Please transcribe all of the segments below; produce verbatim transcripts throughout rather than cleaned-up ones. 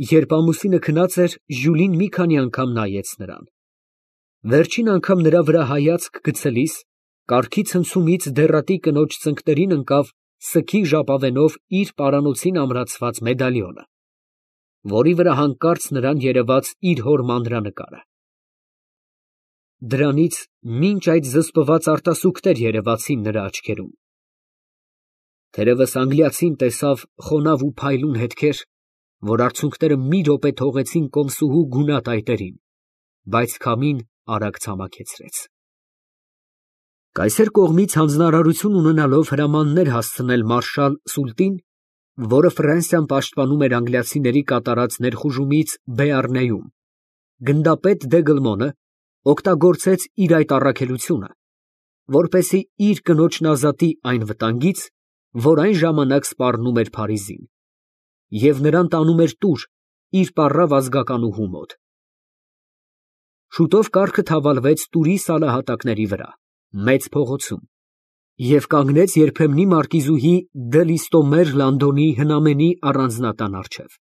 Երբ ամուսինը քնած էր, Ժյուլին մի քանի անգամ նայեց նրան. վերջին անգամ նրա վրա հայացք գցելիս, կառքի ցնցումից դեռատի կնոջ ծնկներին ընկավ սգի ժապավենով իր պարանոցին ամրացված մեդալիոնը, որի վրա հանկարծ նրան երևաց իր հոր մանրանկարը։ Դրանից մինչ այդ զսպված արտասուքներ երևացին նրա աչքերում։ Թերևս անգլիացին տեսավ խոնավ ու փայլուն հետքեր, որ արցունքները մի րոպե թողեցին կոմսուհու գունատ այտերին, բայց քամին արագ ցամաքեցրեց։ Կայսեր կողմից հանձնարարություն ունենալով հրամաններ հասցնել մարշալ Սուլտին, որը Ֆրանսիան պաշտպանում էր անգլիացիների կատարած ներխուժումից Բեառնեում, գնդապետ Դեգլմոնը օգտագործեց իր այդ առաքելությունը, որպեսզի իր կնոջն ազատի այն վտանգից, որ այն ժամանակ սպառնում էր Փարիզին, և նրան տանում էր տուր իր պառավ ազգականուհու մոտ։ Շուտով կառքը թավալվեց տուրի սալահատակների վրա, մեծ փողոցում, և կանգնեց երբեմնի մարկիզուհի դը Լիստոմեր Լանդոնի հնամենի առանձնատան առջև։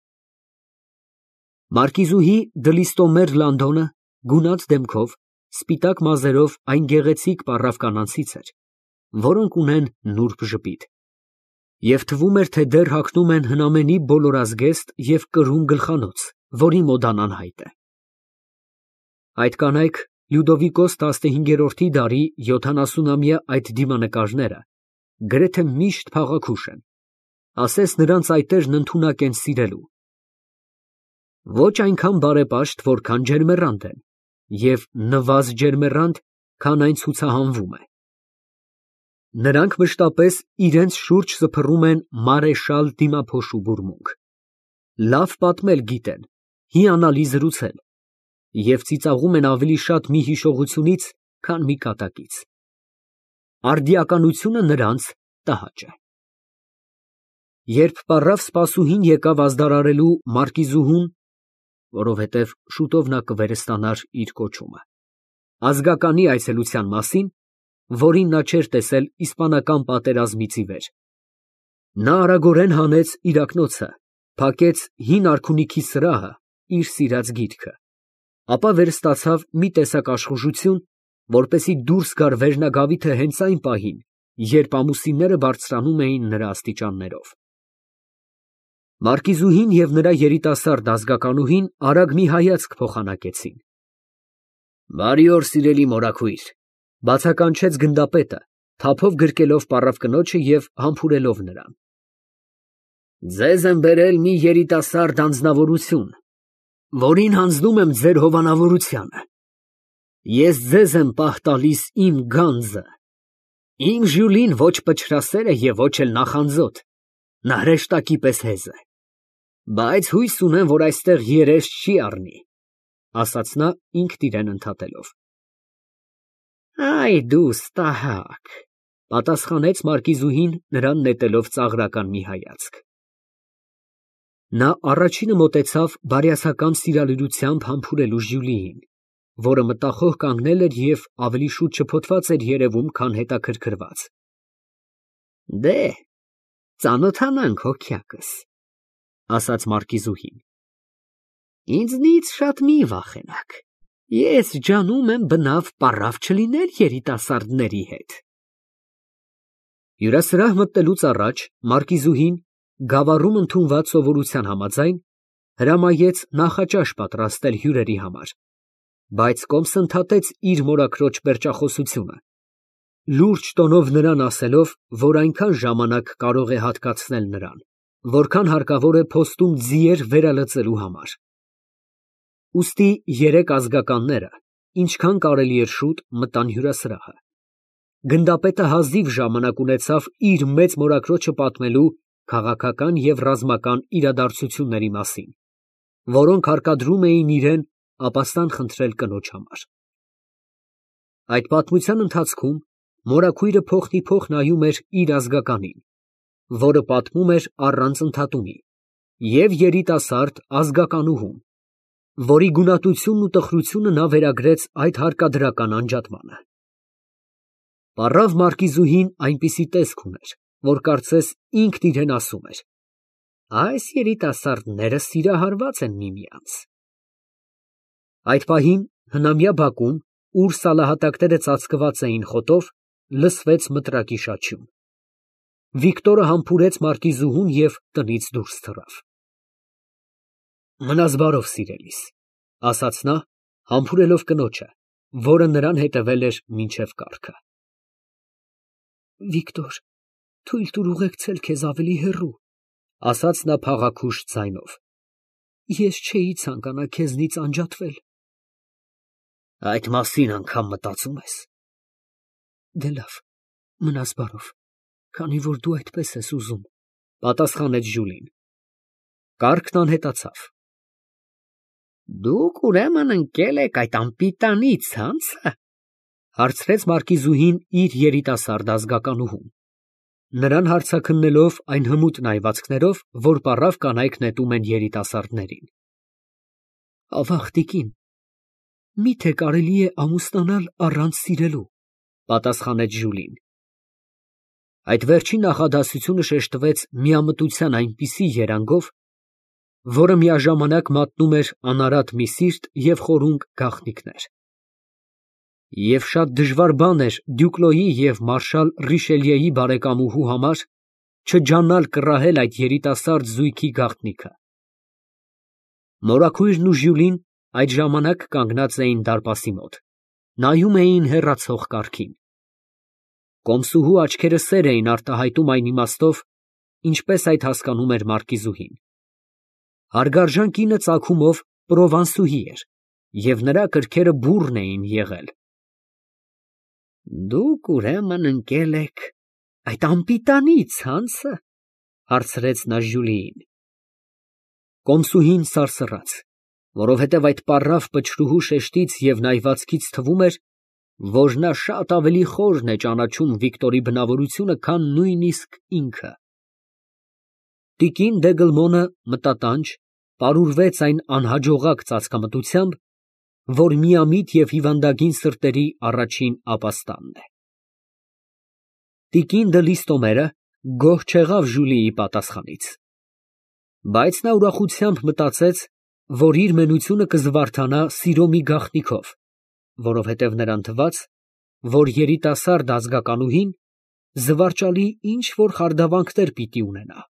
Մարկիզուհի դը Լիստոմեր Լանդոնը գունատ դեմքով, սպիտակ մազերով այն գեղեցիկ պառավ կանանցից էր, որոնք ունեն նուրբ ժպիտ, և թվում էր, թե դեռ հագնում են հնամենի բոլորազգեստ և կրուն գլխանոց, որի մոդան անհայտ է։ Այդ կանայք Լյուդովիկոս տասնհինգերորդի դարի յոթանասունամյա այդ դիմանկարները գրեթե միշտ փաղաքուշ են, ասես նրանց այտերն ընդունակ են սիրելու, ոչ այնքան բարեպաշտ, որքան ջերմեռանդ են, և նվազ ջերմեռանդ, քան այն ցուցահանվում է։ Նրանք մշտապես իրենց շուրջ սփռում են մարեշալ դիմափոշու բուրմունք, լավ պատմել գիտեն, հիանալի զրուցել, և ծիծաղում են ավելի շատ մի հիշողությունից, քան մի կատակից։ Արդիականությունը նրանց տհաճ է։ Երբ պառավ սպասուհին եկավ ազդարարելու մարկիզուհուն, որովհետև շուտով նա կվերստանար իր կոչումը, ազգականի այցելության մասին, որին նա չէր տեսել իսպանական պատերազմից ի վեր, նա արագորեն հանեց իր ակնոցը, փակեց հին արքունիքի սրահը, իր սիրած գիրքը, ապա վերստացավ մի տեսակ աշխուժություն, որպեսզի դուրս գար վերնագավիթը հենց այն պահին, երբ ամուսինները բարձրանում էին նրա աստիճաններով։ Մարկիզուհին և նրա երիտասարդ ազգականուհին արագ մի հայացք փոխանակեցին։ «Բարի օր, սիրելի մորաքույր», ֊ բացականչեց գնդապետը, թափով գրկելով պառավ կնոջը և համբուրելով նրան։ «Ձեզ եմ բերել մի երիտասարդ անձնավորություն, որին հանձնում եմ ձեր հովանավորությանը։ Ես ձեզ եմ պահ տալիս իմ գանձը։ Իմ Ժյուլին ոչ պչրասեր է և ոչ էլ նախանձոտ, նա հրեշտակի պես հեզ է, բայց հույս ունեմ, որ այստեղ երես չի առնի», ֊ ասաց նա ինքն իրան ընդհատելով։ «Այ դու ստահակ», ֊ պատասխանեց մարկիզուհին, նրան նետելով ծաղրական մի հայացք։ Նա առաջինը մոտեցավ բարյացակամ սիրալիրությամբ համբուրելու Ժյուլիին, որը մտախոհ կանգնել էր և ավելի շուտ շփոթված էր երևում, քան հետաքրքրված։ «Դե, ծանոթանանք, հոգյակս», ֊ ասաց մարկիզուհին։ «Ինձնից շատ մի վախենաք, ես ջանում եմ բնավ պառավ չլինել երիտասարդների հետ»։ Հյուրասրահ մտնելուց առաջ մարկիզուհին, գավառում ընդունված սովորության համաձայն, հրամայեց նախաճաշ պատրաստել հյուրերի համար, բայց կոմս ընդհատեց իր մորաքրոջ պերճախոսությունը, լուրջ տոնով նրան ասելով, որ այնքան ժամանակ կարող է հատկացնել նրան, որքան հարկավոր է փոստում ձիեր վերալծելու համար։ Ուստի երեք ազգականները, ինչքան կարելի էր շուտ, մտան հյուրասրահը։ Գնդապետը հազիվ ժամանակ ունեցավ իր մեծ մորաքրոջը պատմելու քաղաքական և ռազմական իրադարձությունների մասին, որոնք հարկադրում էին իրան ապաստան խնդրել կնոջ համար։ Այդ պատմության ընթացքում մորաքույրը փոխնիփոխ նայում էր իր ազգականին, որը պատմում էր առանց ընդհատումի, և երիտասարդ ազգականուհուն, որի գունատությունն ու տխրությունը նա վերագրեց այդ հարկադրական անջատմանը։ Պառավ մարկիզուհին այնպիսի տեսք ուներ, որ կարծես ինքն իրան ասում էր. Այս երիտասարդները սիրահարված են միմյանց։ Այդ պահին հնամյա բակում, ուր սալահատակները ծածկված էին խոտով, լսվեց մտրակի շաչյուն։ Վիկտորը համբուրեց մարկիզուհուն և տնից դուրս թռավ։ Մնաս բարով, սիրելիս, ասաց նա, համբուրելով կնոջը, որը նրան հետևել էր մինչև կառքը։ Վիկտոր, թույլ տուր ուղեկցել քեզ ավելի հեռու, ասաց նա փաղաքուշ ձայնով։ Ես չէի ցանկանա քեզնից անջատվել։ Այդ մասին անգամ մտածում ես։ Դե լավ, մնաս բարով, քանի որ դու այդպես ես ուզում, պատասխանեց Ժյուլին։ Կառքն անհետացավ։ Դուք ուրեմն ընկել եք այդ անպիտանի ցանցը, հարցրեց մարկիզուհին իր երիտասարդ ազգականուհուն, նրան հարցաքննելով այն հմուտ նայվածքներով, որ պառավ կանայք նետում են երիտասարդներին։ Ավաղ, տիկին, միթե կարելի է ամուսնանալ առանց սիրելու, պատասխանեց Ժյուլին։ Այդ վերջին նախադասությունը շեշտվեց միամտության այնպիսի երանգով, որը միաժամանակ մատնում էր անարատ մի սիրտ և խորունկ գաղտնիքներ։ Եվ շատ դժվար բան էր Դյուկլոյի և մարշալ Ռիշելիեի բարեկամուհու համար չջանալ կռահել այդ երիտասարդ զույգի գաղտնիքը։ Մորաքույրն ու Ժյուլին այդ ժամանակ կանգնած էին դարպասի մոտ, նայում էին հեռացող կառքին։ Կոմսուհու աչքերը սեր էին արտահայտում այն իմաստով, ինչպես այդ հասկանում էր մարկիզուհին։ Հարգարժան կինը ծագումով պրովանսուհի էր, և նրա կրքերը բուռն էին եղել։ Դուք ուրեմն ընկել եք այդ անպիտանի ցանցը, հարցրեց նա Ժյուլիին։ Կոմսուհին սարսռաց, որովհետև այդ պառավ պչրուհու շեշտից և նայվածքից թվում էր, որ նա շատ ավելի խորն է ճանաչում Վիկտորի բնավորությունը, քան նույնիսկ ինքը։ Տիկին Դեգլմոնը մտատանջ պարուրվեց այն անհաջողակ ծածկամտությամբ, որ միամիտ և հիվանդագին սրտերի առաջին ապաստանն է։ Տիկին դը Լիստոմերը գոհ չեղավ Ժուլիի պատասխանից, բայց նա ուրախությամբ մտածեց, որ իր մենությունը կզվարթանա սիրո մի գաղտնիքով, որովհետև նրան թվաց, որ երիտասարդ ազգականուհին զվարճալի ինչ-որ խարդավանքներ պիտի ունենա։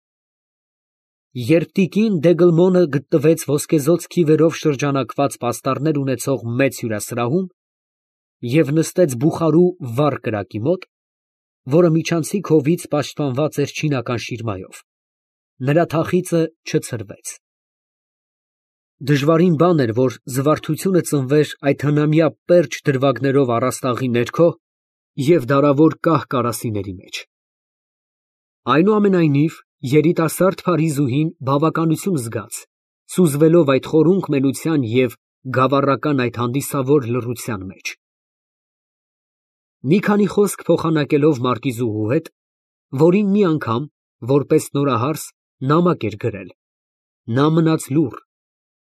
Երբ տիկին Դեգլմոնը գտնվեց ոսկեզօծ քիվերով շրջանակված պաստառներ ունեցող մեծ հյուրասրահում և նստեց բուխարու վառ կրակի մոտ, որը միջանցիկ հովից պաշտպանված էր չինական շիրմայով, նրա թախիծը չցրվեց։ Դժվարին բան էր, որ զվարթությունը ծնվեր այդ հնամյա պերճ դրվագներով առաստաղի ներքո և դարավոր կահ կարասիների մեջ։ Այնուամենայնիվ, երիտասարդ Փարիզուհին բավականություն զգաց, սուզվելով այդ խորունկ մենության և գավառական այդ հանդիսավոր լռության մեջ։ Մի քանի խոսք փոխանակելով մարկիզուհու հետ, որին մի անգամ, որպես նորահարս, նամակ էր գրել, նա մնաց լուռ,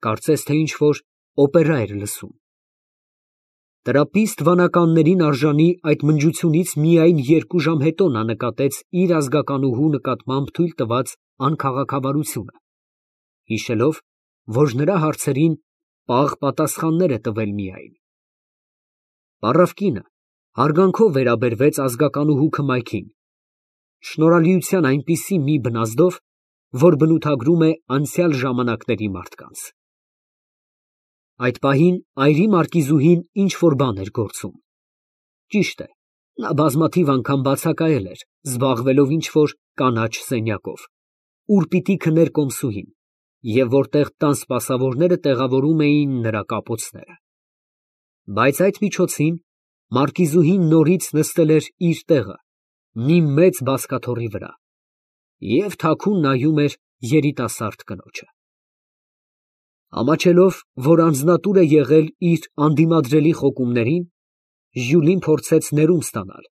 կարծես թե ինչ֊որ օպերա էր լսում։ Տրապիստ վանականներին արժանի այդ մնջությունից միայն երկու ժամ հետո նա նկատեց իր ազգականուհու նկատմամբ թույլ տված անքաղաքավարությունը, հիշելով, որ նրա հարցերին պաղ պատասխաններ է տվել միայն։ Պառավ կինը հարգանքով վերաբերվեց ազգականուհու քմայքին, շնորհալիության այնպիսի մի բնազդով, որ բնութագրում է անցյալ ժամանակների մարդկանց։ Այդ պահին այրի մարկիզուհին ինչ֊որ բան էր գործում։ Ճիշտ է, նա բազմաթիվ անգամ բացակայել էր, զբաղվելով ինչ֊որ կանաչ սենյակով, ուր պիտի քներ կոմսուհին, և որտեղ տան սպասավորները տեղավորում էին նրա կապոցները։ Բայց այդ միջոցին մարկիզուհին նորից նստել էր իր տեղը, մի մեծ բազկաթոռի վրա, և թաքուն նայում էր երիտասարդ կնոջը։ Ամաչելով, որ անձնատուր է եղել իր անդիմադրելի խոկումներին, Ժյուլին փորձեց ներում ստանալ,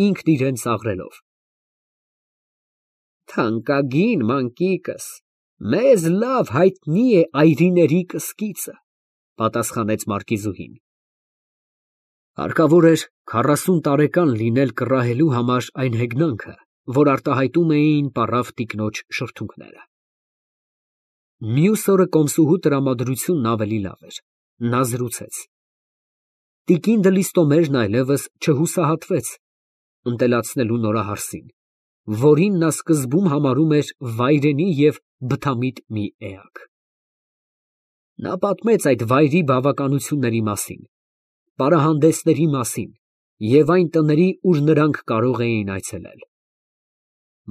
ինքն իրան ծաղրելով։ Թանկագին մանկիկս, մեզ լավ հայտնի է այրիների կսկիծը, պատասխանեց մարկիզուհին։ Հարկավոր էր քառասուն տարեկան լինել կռահելու համար այն հեգնանքը, որ արտահայտում էին պառավ տիկնոջ շրթունքները։ Մյուս օրը կոմսուհու տրամադրությունն ավելի լավ էր, նա զրուցեց։ Տիկին Դլիստոմերն այլևս չհուսահատվեց ընտելացնելու նորահարսին, որին նա սկզբում համարում էր վայրենի և բթամիտ մի էակ։ Նա պատմեց այդ վայրի բավականությունների մասին, պարահանդեսների մասին և այն տների, ուր նրանք կարող էին այցելել։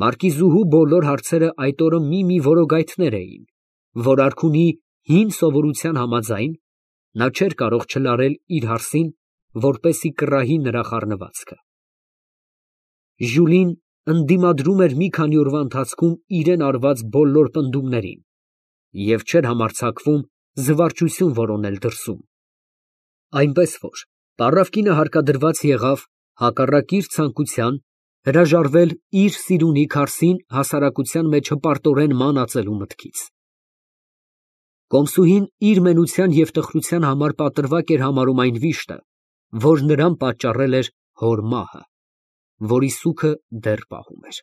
Մարկիզուհու բոլոր հարցերը այդ օրը մի֊մի որոգայթներ էին, որ արքունի հին սովորության համաձայն, նա չէր կարող չլարել իր հարսին, որպեսզի կռահի նրա խառնվածքը։ Ժուլին ընդդիմադրում էր մի քանի օրվա ընթացքում իրան արված բոլոր պնդումներին և չէր համարձակվում զվարճություն որոնել դրսում, այնպես որ պառավկինը հարկադրված եղավ, հակառակ իր ցանկության, հրաժարվել իր սիրունի քարսին հասարակության մեջ հպարտորեն մանածելու մտքից։ Կոմսուհին իր մենության և տխրության համար պատրվակ էր համարում այն վիշտը, որ նրան պատճառել էր հոր մահը, որի սուգը դեռ պահում էր։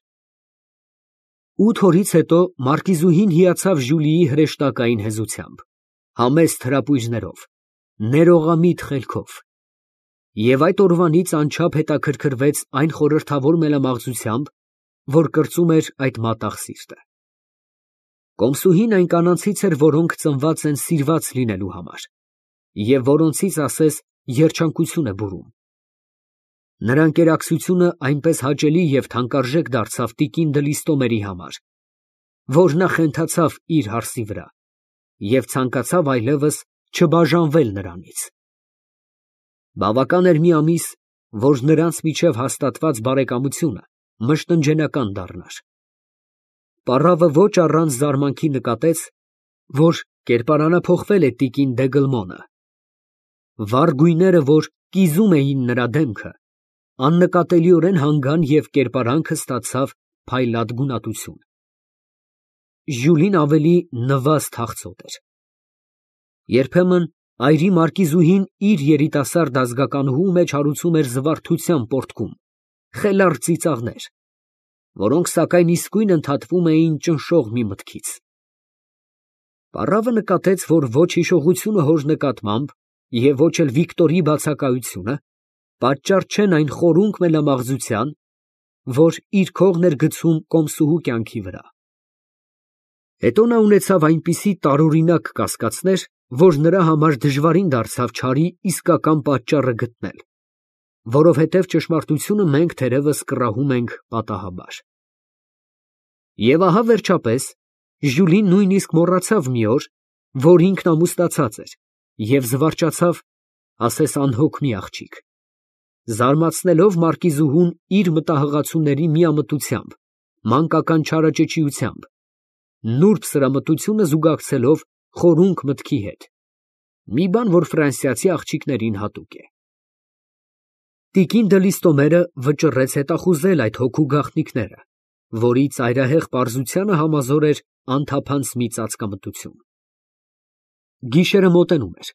Ութ օրից հետո մարկիզուհին հիացավ Ժուլիի հրեշտակային հեզությամբ, համեստ հրապույրներով, ներողամիտ խելքով, և այդ օրվանից անչափ հետաքրքրվեց այն խորհրդավոր մելամաղձությամբ, որ կրծում էր այդ մատաղ սիրտը։ Կոմսուհին այն կանանցից էր, որոնք ծնված են սիրված լինելու համար, և որոնցից ասես երջանկություն է բուրում։ Նրա ընկերակցությունը այնպես հաճելի և թանկարժեք դարձավ տիկին Դլիստոմերի համար, որ նա խենթացավ իր հարսի վրա և ցանկացավ այլևս չբաժանվել նրանից։ Բավական էր մի ամիս, որ նրանց միջև հաստատված բարեկամությունը մշտնջենական դառնար։ Պառավը ոչ առանց զարմանքի նկատեց, որ կերպարանափոխվել է տիկին Դեգլմոնը։ Վառ գույները, որ կիզում էին նրա դեմքը, աննկատելիորեն հանգան և կերպարանքը ստացավ փայլատ գունատություն։ Ժյուլին ավելի նվաստ հաղձոտ էր։ Երբեմն այրի մարկիզուհին իր երիտասարդ ազգականուհու մեջ հարուցում էր զվարթության պոռթկում, խելառ ծիծաղներ, որոնք սակայն իսկույն ընդհատվում էին ճնշող մի մտքից։ Պառավը նկատեց, որ ոչ հիշողությունը հոր նկատմամբ և ոչ էլ Վիկտորի բացակայությունը պատճառ չեն այն խորունկ մելամաղձության, որ իր քողն էր գցում կոմսուհու կյանքի վրա։ Հետո նա ունեցավ այնպիսի տարօրինակ կասկածներ, որ նրա համար դժվարին դարձավ չարի իսկական պատճառը գտնել, որովհետև ճշմարտությունը մենք թերևս կռահում ենք պատահաբար։ Եվ ահա վերջապես Ժյուլին նույնիսկ մոռացավ մի օր, որ ինքն ամուսնացած էր, և զվարճացավ, ասես անհոգ մի աղջիկ, զարմացնելով մարկիզուհուն իր մտահղացուների միամտությամբ, մանկական չարաճճիությամբ, նուրբ սրամտությունը զուգակցելով խորունկ մտքի հետ, մի բան, որ ֆրանսիացի աղջիկներին հատուկ է։ Տիկին Դլիստոմերը վճռեց հետախուզել այդ հոգու գաղտնիքները, որի ծայրահեղ պարզությանը համազոր էր անթափանց մի ծածկամտություն։ Գիշերը մոտենում էր,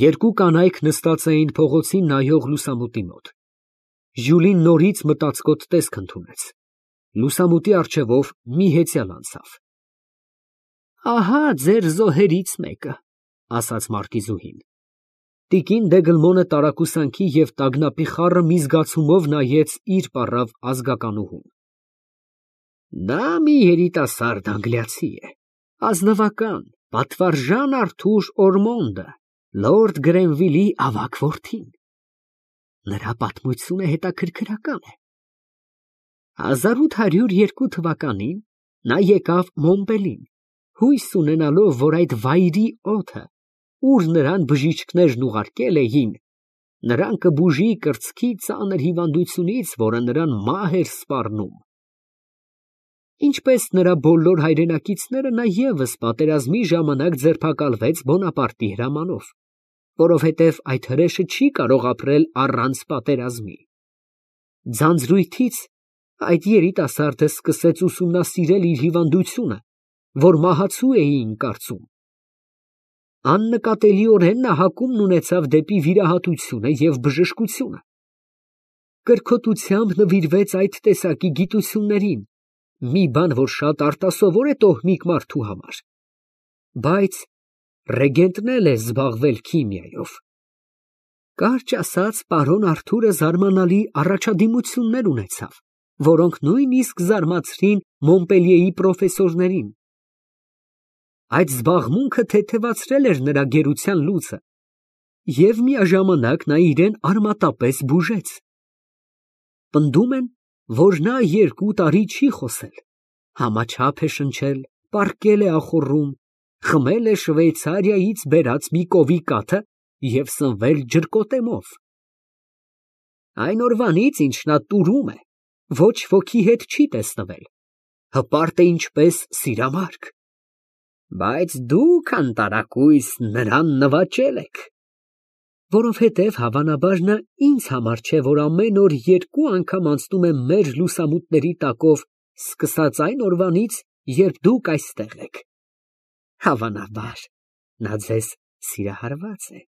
երկու կանայք նստած էին փողոցին նայող լուսամուտի մոտ։ Ժյուլին նորից մտածկոտ տեսք ընդունեց, լուսամուտի առջևով մի հեծյալ անցավ։ Ահա ձեր զոհերից մեկը, ասաց մարկիզուհին։ Տիկին Դեգլմոնը տարակուսանքի և տագնապի խառը մի զգացումով նայեց իր պառավ ազգականուհուն։ Նա մի երիտասարդ անգլիացի է, ազնվական, պատվարժան Արթուր Օրմոնդը, լորդ Գրենվիլի ավագ որդին։ Նրա պատմությունը հետաքրքրական է։ հազար ութ հարյուր երկու թվականին նա եկավ Մոնպելին, հույս ունենալով, որ այդ վայրի օդը, ուր նրան բժիշկներն ուղարկել էին, նրան կբուժի կրծքի ծանր հիվանդությունից, որը նրան մահ էր սպառնում։ Ինչպես նրա բոլոր հայրենակիցները, նա ևս պատերազմի ժամանակ ձերբակալվեց Բոնապարտի հրամանով, որովհետև այդ հրեշը չի կարող ապրել առանց պատերազմի։ Ձանձրույթից այդ երիտասարդը սկսեց ուսումնասիրել իր հիվանդությունը, որ մահացու էին կարծում։ Աննկատելիորեն նա հակումն ունեցավ դեպի վիրահատությունը և բժշկությունը։ Կրքոտությամբ նվիրվեց այդ տեսակի գիտություններին, մի բան, որ շատ արտասովոր է տոհմիկ մարդու համար։ Բայց ռեգենտն էլ է զբաղվել քիմիայով։ Կարճ ասած, պարոն Արթուրը զարմանալի առաջադիմություններ ունեցավ, որոնք նույնիսկ զարմացրին Մոնպելիեի պրոֆեսորներին։ Այդ զբաղմունքը թեթևացրել էր նրա գերության լուծը, և միաժամանակ նա իրեն արմատապես բուժեց։ Պնդում են, որ նա երկու տարի չի խոսել, համաչափ է շնչել, պառկել է ախոռում, խմել է Շվեյցարիայից բերած մի կովի կաթը և սնվել ջրկոտեմով։ Այն օրվանից, ինչ նա տուրում է, ոչ ոքի հետ չի տեսնվել, հպարտ է ինչպես սիրամարգ։ Բայց դուք անտարակույս նրան նվաճել եք։ Որովհետև հավանաբար նա ինձ համար չէ, որ ամեն օր երկու անգամ անցնում եմ մեր լուսամուտների տակով, սկսած այն օրվանից, երբ դուք այստեղ եք։ Հավանաբար նա ձեզ սիրահարված է։